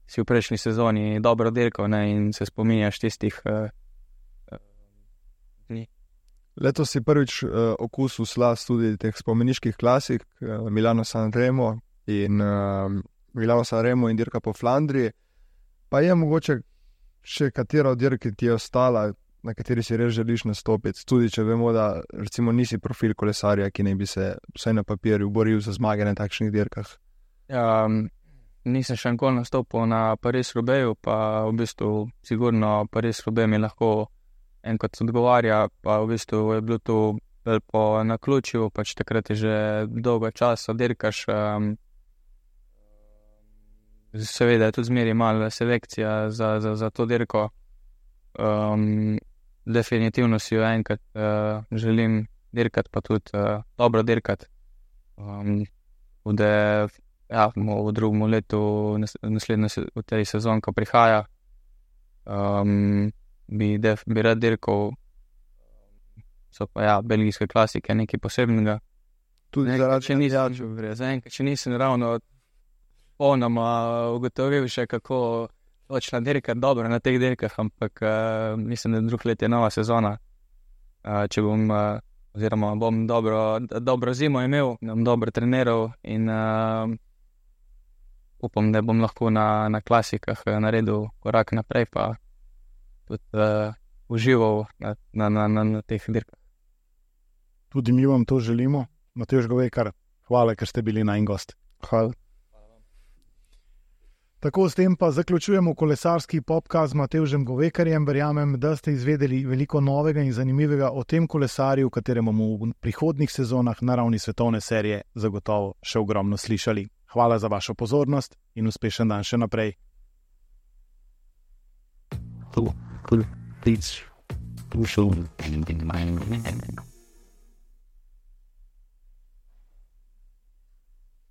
si v prejšnji sezoni dobro dirkal, ne, in se spominjaš tistih uh, uh, dni. Letos si prvič uh, okusil slast tudi teh spomeniških klasik, uh, Milano Sanremo in uh, Milano Sanremo in dirka po Flandriji. Pa je mogoče še katera od dirk, ki ti je ostala, na kateri si res želiš nastopiti, tudi če vemo, da recimo nisi profil kolesarja, ki ne bi se vsaj na papirju boril za zmage na takšnih dirkah. Ja, nisem še nikoli nastopil na Paris-Roubaixu, pa v bistvu sigurno Paris-Roubaix mi lahko enkrat odgovarja, pa v bistvu je bilo to po naključju, pač takrat je že dolgo časa dirkaš. Um, seveda je tudi zmeri malo selekcija za, za, za to dirko. Um, definitivno si jo enkrat uh, želim dirkati, pa tudi uh, dobro dirkati. Um, da ja, v drugem letu, naslednjo v tej sezon, ko prihaja, um, bi, def, bi rad dirkal. So pa ja, belgijske klasike, nekaj posebnega. Tudi zaradi, če nisem, zaenkrat, če nisem ravno ponoma ugotovil še, kako točno dirkati dobro na teh dirkah, ampak uh, mislim, da drug let je nova sezona. Uh, če bom, uh, oziroma bom dobro, dobro zimo imel, bom dobro treniral in uh, upam, da bom lahko na, na klasikah naredil korak naprej, pa tudi uh, užival na, na, na, na, na teh dirkah. Tudi mi vam to želimo. Matevž Govekar, hvala, ker ste bili najin gost. Hvala. Tako, s tem pa zaključujemo kolesarski podcast z Matevžem Govekarjem. Verjamem, da ste izvedeli veliko novega in zanimivega o tem kolesarju, v katerem bomo v prihodnjih sezonah na ravni svetovne serije zagotovo še ogromno slišali. Hvala za vašo pozornost in uspešen dan še naprej. Cool. Cool. Please. Do so in my